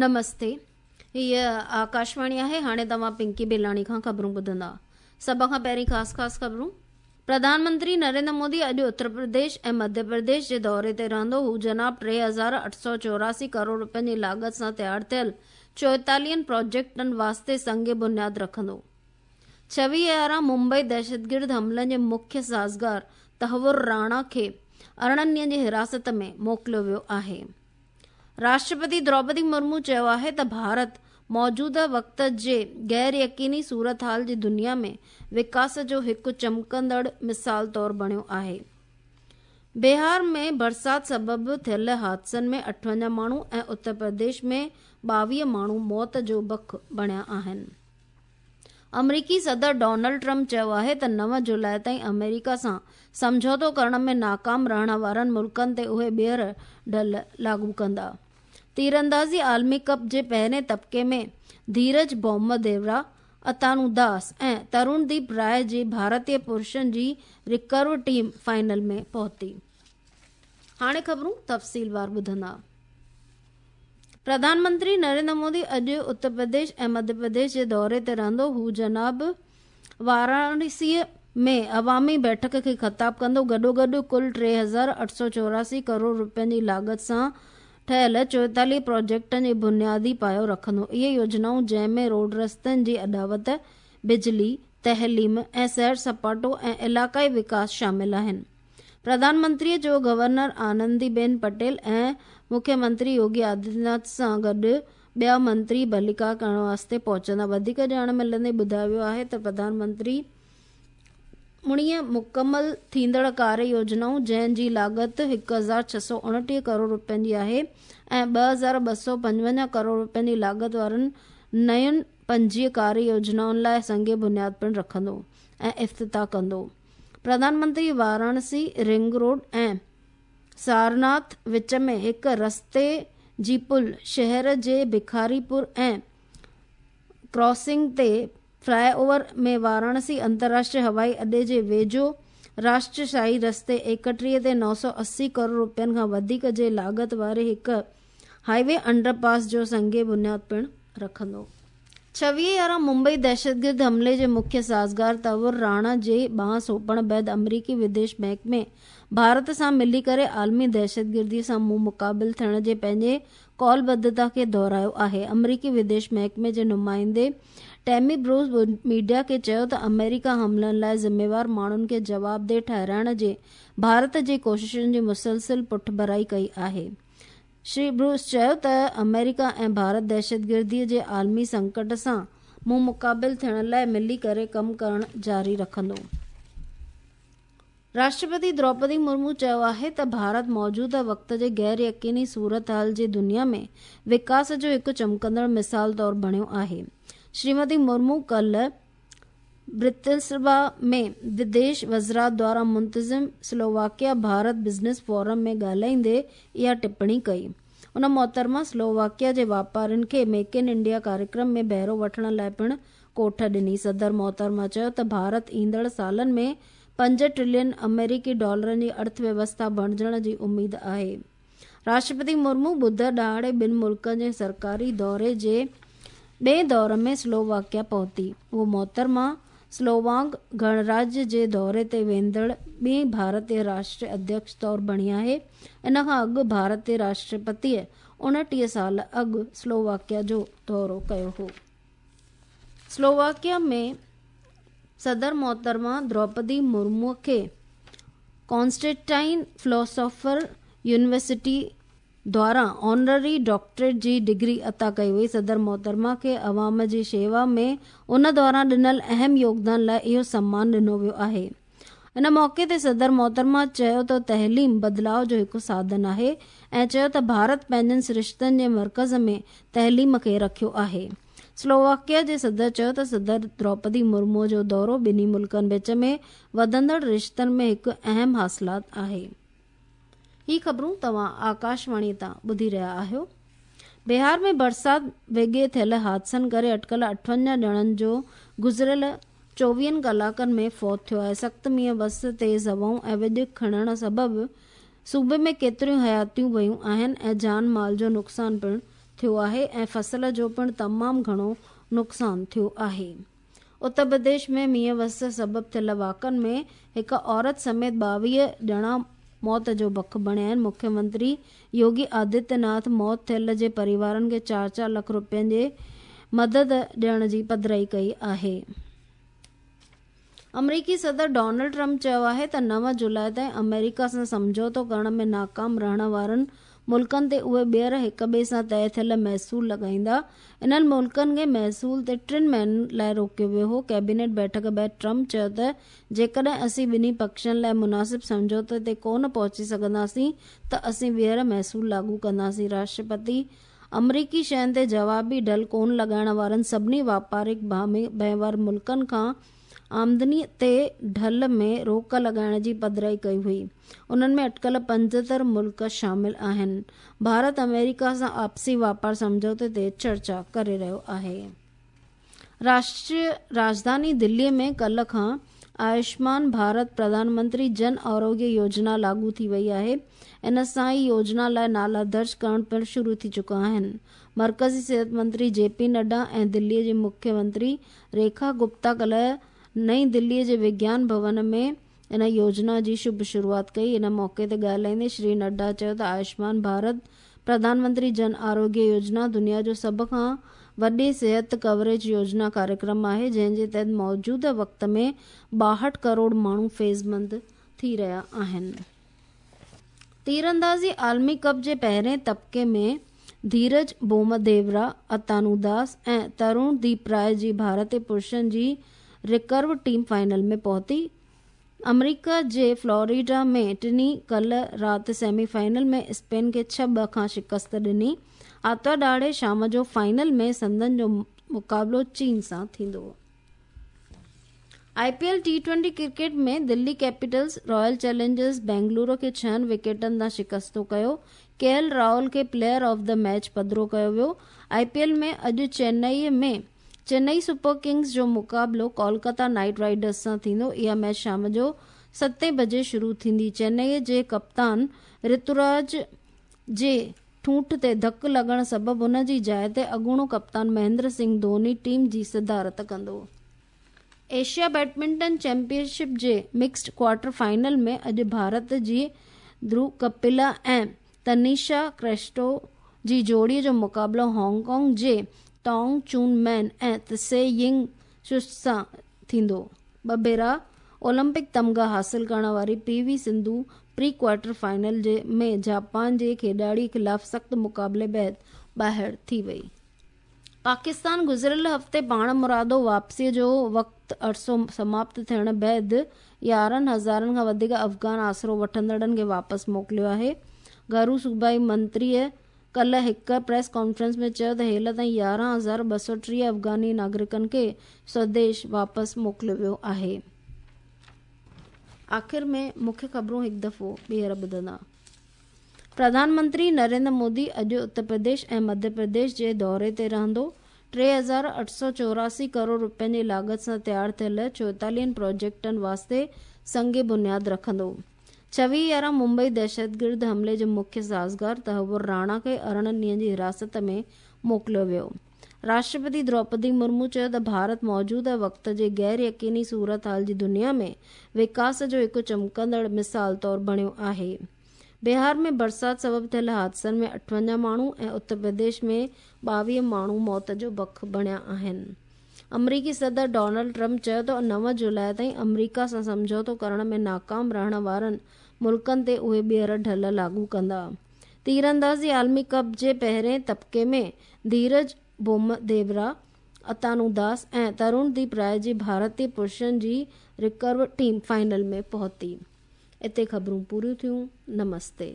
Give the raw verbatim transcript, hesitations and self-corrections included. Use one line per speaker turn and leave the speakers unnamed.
نمستي، هيء آڪاشواڻي آهي. هاڻي توهان پنڪي بيلاڻي کان خبرون ٻڌندا. سڀ کان پهرين خاص خاص خبرون. پرڌان منتري نريندر مودي اڄ اتر پرديش ۽ مڌيه پرديش جي دوري تي رهندو. هو جناب ٽي هزار اٺ سؤ چوراسي ڪروڙ رپين جي لاڳت سان تيار ٿيل چوئيتاليهن پروجيڪٽن واسطي سنگ بنياد رکندو. ڇويهه يارهن ممبئي دهشتگرد حملن جي مکيه سازگار تهور راڻا کي ارڙهن ڏينهن جي حراست ۾ موڪليو ويو آهي. راشٽرپتي دروپدي مرمو چيو آهي ته ڀارت موجوده وقت جي غير يقيني صورتحال جي دنيا ۾ وڪاس جو هڪ چمڪندڙ مثال طور بڻيو آهي. بهار ۾ برسات سبب ٿيل حادثن ۾ اٺونجاهه ماڻهو ۽ اتر پرديش ۾ ٻاويهه ماڻهو موت جو بک بڻيا آهن. آمريڪي صدر ڊونلڊ ٽرمپ چيو آهي ته نو جولاء تائين آمريڪا سان سمجهوتو ڪرڻ ۾ ناڪام رهڻ وارن ملڪن تي اهي ٻيهر ڍل لاڳو ڪندا. تيراندازي عالمي ڪپ جي پهرين طبقي ۾ ڌيرج بومديورا، اتانو داس ۽ ترونديپ راءِ جي ڀارتي پرشن جي رڪرو ٽيم فائنل ۾ پهتي. هاڻي خبرون تفصيلوار ٻڌندا. پرڌان منتري نريندر مودي اڄ اتر پرديش ۽ مڌيه پرديش جي دوري تي رهندو. هو جناب واراڻسيء ۾ عوامي بيٺڪ کي خطاب ڪندو. گڏوگڏ ڪل ٽي هزار اٺ سؤ چوراسي ڪروڙ رپين جي لاڳت سان ٺهيل چوئيتاليهه پروجيڪٽن جي بنيادي پايو رکندو. اهي يوجنائون جنهن ۾ روڊ رستن جي اڏاوت، بجلي، تعليم ۽ سير سپاٽو ۽ علائقائي وڪاس شامل آهن. پرڌان منتريء جو گورنر آنندي بين پٽيل ۽ مکيه منتري يوگي آدتيه ناٿ سان گڏ ٻيا منتري ڀليڪار ڪرڻ واسطي پهچندا. وڌيڪ ڄاڻ ملندي ٻڌايو ويو آهي ته پرڌان منتري اڻويهه مڪمل ٿيندڙ ڪاريه يوجنائون جنهن جي لاڳت هڪ هزار ڇهه سؤ اڻٽيهه ڪروڙ رپين جي آهي ۽ ٻه هزار ٻه سؤ پنجونجاهه ڪروڙ رپين جي لاڳت وارن نين پنجويهه ڪاريه يوجنائن لاء سنگ بنياد پڻ رکندو ۽ افتتاح ڪندو. پرڌان منتري واراڻسي رنگ روڊ ۽ سارناٿ وچ ۾ هڪ رستي جي پل، شهر جي بکاري پور ۽ ڪراسنگ تي فلاءِ اوور ۾ واراڻسي انترراشٽريه هوائي اڏي جي ويجهو راشٽريه شاهي رستي ايڪٽيهه تي نو سؤ اسي ڪروڙ رپين کان وڌيڪ جي لاڳت واري هڪ هاءِ وي انڊر پاس جو سنگ بنياد پڻ رکندو. ڇويهه يارهن ممبئي دهشتگرد حملي جي مکيه سازگار تهور راڻا جي ٻانهن سونپڻ بعد آمريڪي وديش محڪمي ڀارت سان ملي ڪري عالمي دهشتگردي سان منهن مقابل ٿيڻ جي پنهنجي قولبڌتا کي دهرايو آهي. آمريڪي وديش محڪمي جي نمائندي ٽيمي بروس ميڊيا کي چيو ته آمريڪا حملن لاءِ ذميوار ماڻهن کي جوابده ٺهرائڻ جي ڀارت جي ڪوششن جي مسلسل پٺڀرائي ڪئي آهي. شري بروس چيو ته آمريڪا ۽ ڀارت دهشتگردي جي عالمي سنڪٽ سان منهن مقابل ٿيڻ لاءِ ملي ڪري ڪم ڪرڻ جاري رکندو. راشٽرپتي دروپدي مرمو چيو آهي ته ڀارت موجوده وقت جي غير يقيني صورتحال جي دنيا ۾ وڪاس جو هڪ چمڪندڙ مثال طور بڻيو آهي. شريمتي مرمو ڪالهه برتسلاوا ۾ وديش وزارت دواران منتظم سلوواڪيا ڀارت بزنس فورم ۾ ڳالهائيندي اها ٽپڻي ڪئي. ان محترمه سلوواڪيا جي واپارين کي ميڪ ان انڊيا ڪاريڪرم ۾ بهرو وٺڻ لاءِ پڻ ڪوٺ ڏني. صدر محترمه چيو ته ڀارت ايندڙ سالن ۾ پنج ٽريلين آمريڪي ڊالرن جي ارٿ ويوسٿا بڻجڻ جي اميد آهي. راشٽرپتي مرمو ٻڌر ڏهاڙي ٻن ملڪن جي سرڪاري دوري جي ٻئي دور ۾ سلوواڪيا پهتي. اهو محترمه سلوواڪ گڻراجيه جي دوري تي ويندڙ ٻي ڀارتي راشٽر اڌيڪش طور بڻي آهي. ان کان اڳ ڀارتي راشٽرپتيء اڻٽيهه سال اڳ سلوواڪيا جو دورو ڪيو هو. سلوواڪيا ۾ صدر محترمه دروپدي مرمو کي ڪانسٽينٽائن فلاسافر يونيورسٽي دواران آنرري ڊاڪٽريٽ جي ڊگري عطا ڪئي وئي. صدر محترمه کي عوام جي شيوا ۾ ان دوران ڏنل اهم يوگدان لاءِ اهو سمان ڏنو ويو آهي. ان موقعي تي صدر محترمه چيو ته تعليم بدلاءُ جو هڪ ساڌن آهي ۽ چيو ته ڀارت پنهنجن سرشتن جي مرڪز ۾ تعليم کي رکيو آهي. سلوواڪيا جي صدر چيو ته صدر دروپدي مرمو جو دورو ٻنهي ملڪن وچ ۾ وڌندڙ رشتن ۾ هڪ اهم حاصلات آهي. هي خبرون توهان آڪاشواڻي تان ٻڌي رهيا آهيو. بهار ۾ برسات وڳي ٿيل حادثن ڪري اٽڪل اٺونجاهه ڄڻن جو گذريل چوويهن ڪلاڪن ۾ فوت ٿيو آهي. سخت مينهن وس، تيز هوائون ۽ وڄ کڻڻ سبب صوبي ۾ ڪيتريون حياتيون ويون آهن ۽ جان مال جو نقصان پڻ ٿيو آهي ۽ فصل جو پڻ تمام گهڻو نقصان ٿيو آهي. اتر پرديش ۾ مينهن وس سبب ٿيل واقعن ۾ هڪ عورت سميت ٻاويهه ڄڻا موت جو بک بڻيا آهن. مکيه منتري يوگي آدتيه ناٿ موت ٿيل جي پريوارن کي چار چار لک رپين جي مدد ڏيڻ جي پڌرائي ڪئي آهي. آمريڪي صدر ڊونلڊ ٽرمپ چيو آهي ته نو جولاء تائين آمريڪا سان سمجهوتو ڪرڻ ۾ ناڪام رهڻ وارن ملڪن تي اهي ٻيهر هڪ ٻئي سان طئي ٿيل محصول لڳائيندا. انهن ملڪن کي محصول تي ٽن مهينن لاء روڪيو ويو هو. ڪيبينيٽ بيٺڪ بعد ٽرمپ چيو ته جيڪڏهن اسين ٻنهي پکشن لاء مناسب سمجهوتي تي ڪونه پهچي سگهنداسين ته اسين ٻيهر محصول لاڳو ڪنداسين. راشٽرپتي آمريڪي شين تي جوابي ڍل ڪونه لڳائڻ وارن سڀني واپارڪ ڀائيوار ملڪن کان آمدني تي ڍل ۾ روڪ لڳائڻ جي پڌرائي ڪئي هئي. انهن ۾ اٽڪل پنجهتر ملڪ شامل آهن. ڀارت آمريڪا سان آپسي واپار سمجهوتي تي چرچا ڪري رهيو آهي. راشٽريه راڄڌاني دلي ۾ ڪالهه کان آيوشمان ڀارت پرڌان منتري جن آروگيه يوجنا لاڳو ٿي وئي آهي. ان سان ئي يوجنا لاء نالا درج ڪرڻ پڻ شروع ٿي چڪا آهن. مرڪزي صحت منتري جي پي نڊا ۽ دلي جي مکيه منتري ريکا گپتا ڪالهه نئين دلي جي وگيان ڀون ۾ ان يوجنا جي شڀ شروعات ڪئي. ان موقعي تي ڳالهائيندي شري نڊا چيو ته آيوشمان ڀارت پرڌان منتري جن آروگيه يوجنا دنيا جو سڀ کان وڏي صحت ڪوريج يوجنا ڪاريڪرم آهي، جنهن جي تحت موجوده وقت ۾ ٻاهٺ ڪروڙ ماڻهو فيضمند ٿي رهيا آهن. تيراندازي عالمي ڪپ جي پهرين طبقي ۾ ڌيرج بومديورا، اتانو داس ۽ ترون ديپ راءِ جي ڀارتي پرشن جي رڪرو ٽيم فائنل ۾ پهتي. آمريڪا جي فلوريڊا ۾ ٽنهي ڪالهه رات سيمي فائنل ۾ اسپين کي ڇهه ٻه کان شڪست ڏني. آتوار ڏهاڙي شام جو فائنل ۾ سندن جو مقابلو چين سان ٿيندو. I P L T twenty cricket ۾ Delhi Capitals Royal Challengers Bengaluru کي ڇهن وڪيٽن تان شڪستو ڪيو. ڪي ايل راهول کي پليئر آف the match پڌرو ڪيو ويو. آءِ پي ايل ۾ اڄ چنائي ۾ چنائي سپر ڪنگز جو مقابلو ڪولڪاتا نائيٽ رائيڊرز سان ٿيندو. اها ميچ شام جو ستين بجي شروع ٿيندي. چنائي جي ڪپتان رتوراج جي ٺونٺ تي ڌڪ لڳڻ سبب هن جي جاءِ تي اڳوڻو ڪپتان مهيندر سنگهه ڌوني ٽيم جي صدارت ڪندو. ايشيا بيڊمنٽن چيمپئن شپ جي مڪسڊ ڪوارٽر فائنل ۾ اڄ ڀارت جي ڌرو ڪپلا ۽ تنيشا ڪريسٽو جي جوڙي جو مقابلو هانگ ڪانگ جي ٽانگ چون مين ۽ تسي ينگ شش سان ٿيندو. ٻه ڀيرا اولمپڪ تمغا حاصل ڪرڻ واري P V Sindhu pre quarter final جي ۾ جاپان جي کيڏاڙي خلاف سخت مقابلي بعد ٻاهر ٿي وئي. پاڪستان گذريل هفتي پاڻمرادو واپسيءَ جو وقت عرصو سماپت ٿيڻ بعد يارهن هزارن کان وڌيڪ افغان آسرو وٺندڙن کي واپس موڪليو آهي. گهرو صوبائي منتريءَ ڪالهه هڪ پريس ڪانفرنس ۾ چيو ته هيل تائين يارهن هزار ٻه سؤ ٽيهه افغاني ناگرڪن کي سوديش واپس موڪليو ويو آهي. آخر ۾ مکيه خبرون هڪ دفعو ٻيهر ٻڌندا. پرڌان منتري نريندر مودي اڄ اتر پرديش ۽ مڌيه پرديش جي دوري تي رهندو. ٽي هزار اٺ سؤ چوراسي ڪروڙ رپين جي لاڳت سان تيار ٿيل چوئيتاليهن پروجيڪٽن واسطي سنگ بنياد رکندو. ڇويهه يارهن ممبئي دهشتگرد حملي جو مکيه سازگار تهور راڻا کي ارڙهن ڏينهن جي حراست ۾ موڪليو ويو. راشٽرپتي دروپدي مرمو چيو ته ڀارت موجوده وقت جي غير يقيني صورت حال جي دنيا ۾ وڪاس جو هڪ چمڪندڙ مثال طور بڻيو آهي. بهار ۾ برسات سبب ٿيل حادثن ۾ اٺونجاهه ماڻهو ۽ اتر پرديش ۾ ٻاويهه ماڻهو موت جو بک بڻيا آهن. آمريڪي صدر ڊونلڊ ٽرمپ چيو ته نو جولاءِ تائين آمريڪا سان سمجهوتو ڪرڻ ۾ ناڪام رهڻ وارن ملڪن تي اهي ٻيهر ڍل لاڳو ڪندا. تيراندازي عالمي ڪپ جي پهرين طبقي ۾ ڌيرج بومديورا، اتانو داس ۽ ترون ديپ راءِ جي ڀارتي پرشن جي رڪرو ٽيم فائنل ۾ پهتي. اتي خبرون پوريون ٿيون. نمستي.